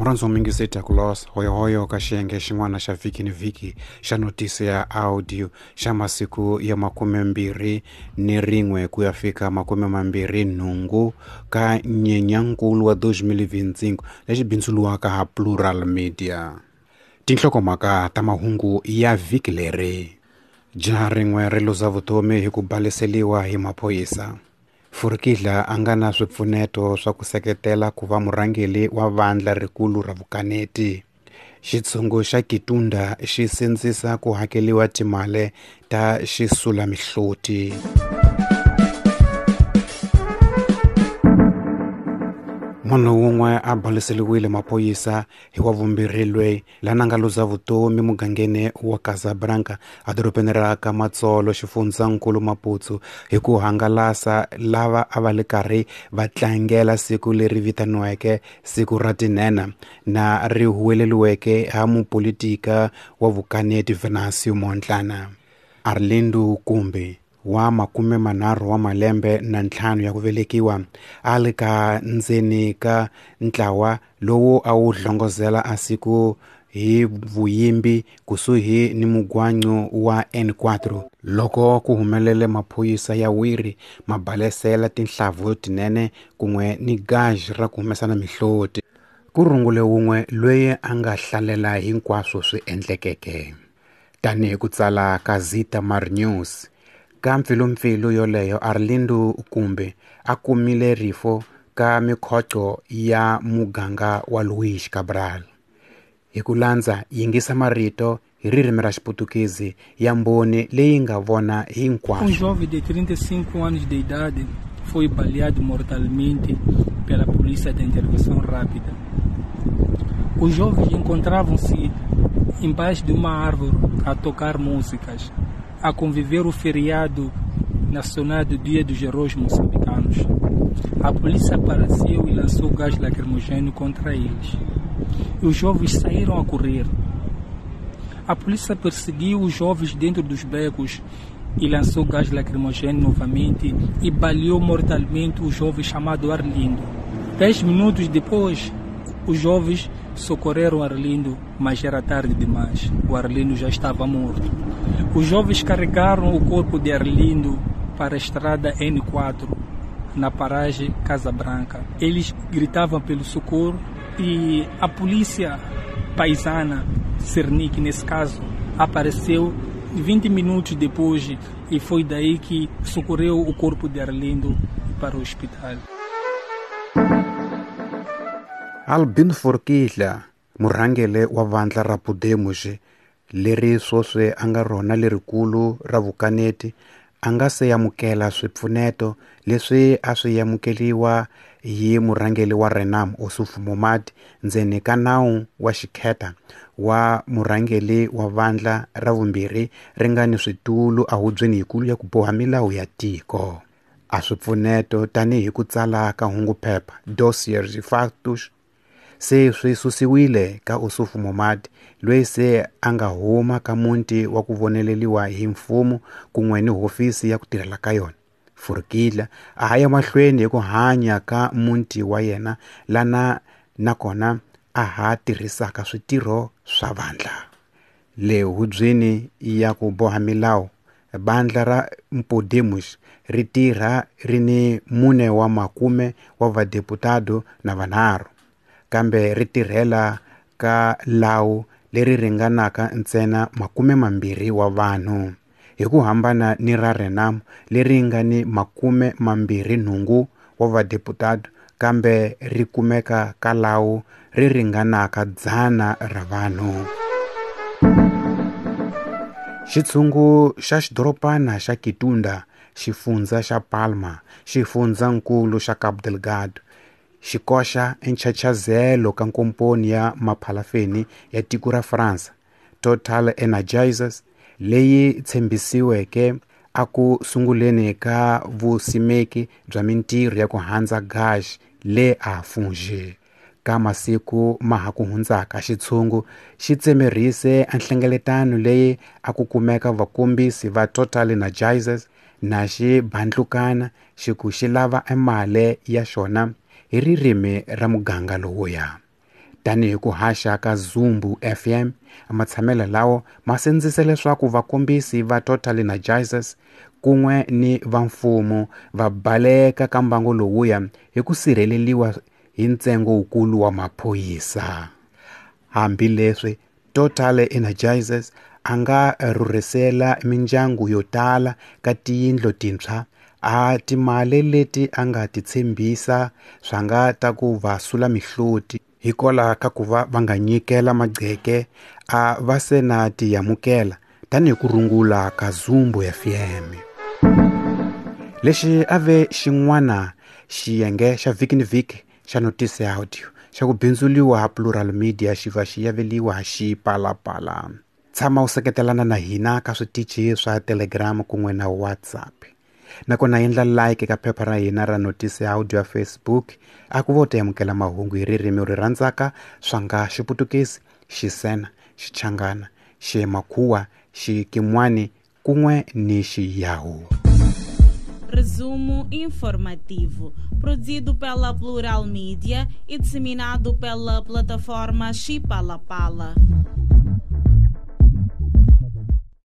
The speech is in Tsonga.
Murhandzi wa muyingiseri Takulos hoyohoyo ka xiyenge xin'wana xa vhiki ni vhiki xa notisi ya audio xa masiku ya 21 ku ya fika 28 ka Nyenyankulu wa 2025 lexi bindzuriwaka ha Plural Media. Tinhlokomhaka ta mahungu ya vhiki leri. Jaha rin'we ri luza vutomi hi ku baleseliwa hi maphorisa. Furukidla a nga na swipfuneto swa ku seketela ku va murhangeri wa vandla rikulu ra vukaneti. Xitshungu xa Kitunda xi sindzisa ku hakeriwa timali ta xisulamihloti. Munhu wun'we a baleseliwile maphorisa hi wa vumbirhi loyi lana nga luza vutomi mugangeni wa Casablanca edorobeni ra Kamatsolo xifundzankulu Maputo hi ku hangalasa lava a va le karhi va tlangela siku leri vitaniweke siku ra tinhenha na ri huweleriweke ha mupolitika wa vukaneti Venancio Mondlane. Arlindo Kumbi wa 35 wa malembe na 5 ya ku velekiwa a li ka ndzeni ka ntlawa lowu a wu hlongozela a siku hi vuyimbi kusuhi ni mugwancu wa N4 loko ku humelele maphorisa ya wiri ma balesela tinhlavu tinene kun'we ni gaj ra ku humesana mihloti. Ku rungule wun'we loyi a nga hlalela hinkwaswo swi endlekeke. Tanihi ku tsala ka Zita Mar News, ka mpfilumpfilu yoleyo Arlindo Kumbi a kumile rifo ka mikhoco ya muganga wa Luís Cabral. Hi ku landza yingisa marito hi ririmi ra Xiputukezi ya mbhoni leyi nga vona hinkwaswo. Um jovem de 35 anos de idade foi baleado mortalmente pela polícia de intervenção rápida. Os jovens encontravam-se embaixo de uma árvore a tocar músicas, a conviver o feriado nacional do Dia dos Heróis Moçambicanos. A polícia apareceu e lançou gás lacrimogêneo contra eles. E os jovens saíram a correr. A polícia perseguiu os jovens dentro dos becos e lançou gás lacrimogêneo novamente e baleou mortalmente o jovem chamado Arlindo. 10 minutos depois, os jovens socorreram Arlindo, mas era tarde demais. O Arlindo já estava morto. Os jovens carregaram o corpo de Arlindo para a estrada N4, na paragem Casa Branca. Eles gritavam pelo socorro e a polícia paisana, Cernic nesse caso, apareceu 20 minutos depois e foi daí que socorreu o corpo de Arlindo para o hospital. Albino Forquilha, murhangeri wa vandla ra Podemos leri sweswi a nga rona lerikulu ra vukaneti, a nga se amukela swipfuneto leswi a swi amukeriwa hi murhangeri wa Renamo Ossufo Momad ndzeni ka nawu wa xikheta wa murhangeri wa vandla ra vumbirhi ri nga ni switulu ehubyeni yikulu ya ku boha milawu ya tiko. A swipfuneto tanihi ku tsala ka hunguphepha dossiers factos se swi susiwile ka Ossufo Momad loyi se a nga huma ka muti wa ku voneleriwa hi mfumo kun'we ni hofisi ya ku tirhela ka yona. Forquilha a ha ya mahlweni hi ku hanya ka muti wa yena lana nakona a ha tirhisaka switirho swa vandla. Le hubyeni ya ku boha milawu, vandla ra Podemos ri tirha ri ni 4 wa makume wa vadeputado na vanharhu, kambe ri tirhela ka lawu leri ringanaka ntsena 20 wa vanhu, hi ku hambana ni ra Renamo leri nga ni 28 wa vadeputado kambe ri kumeka ka lawu ri ringanaka 100 ra vanhu. Xitshungu xa xidorobana xa Kitunda, xifundza xa Palma, xifundzankulu xa Cabo Delgado, xi koxa enchachazelo ka nkomponi ya maphalafeni ya tiko ra Fransa, Total Energies, leyi tshembisiweke a ku sunguleni ka vusimeki bya mintirho ya ku handza gas le Afungi. Ka masiku ma ha ku hundzaka, xitshungu xi tsemerise nhlengeletano leyi a ku kumeka vakombisi va Total Energies na xi bandlukana xi ku xi lava emali ya xona hi ririmi ra muganga lowuya. Tanihi ku haxa ka Zumbu FM, matshamelo lawo ma sindzise leswaku vakombisi va Total Energizers kun'we ni va mfumo va baleka ka mbango lowuya hi ku sirheleliwa hi ntsengo wukulu wa maphorisa. Hambileswi Total Energizers a nga rhurhisela mindyangu yo tala ka tiyindlu tintshwa, a timali leti a nga ti tshembisa swa nga ta ku va sula mihloti hikwalaho ka ku va va nga nyikela magqeke a va se na ti amukela tanihi ku rungula ka Zumbu FM. Lexi a ve xin'wana xiyenge xa vhiki ni vhiki xa Notice Audio xa ku bindzuliwa ha Plural Media xi va xi yaveliwa Xipalapala. Tshama u seketelana na hina ka switichi swa Telegram kun'we na WhatsApp. Nakona endla like ka phepha ra hina ra Notice Audio ya Facebook a ku vo ta amukela mahungu hi ririmi ri rhandzaka swa nga Xiputukezi, Xisena, Xichangana, Ximakhuwa, Xikimwani kun'we ni Xiyahu. Resumo informativo, produzido pela Plural Mídia e disseminado pela plataforma Xipalapala.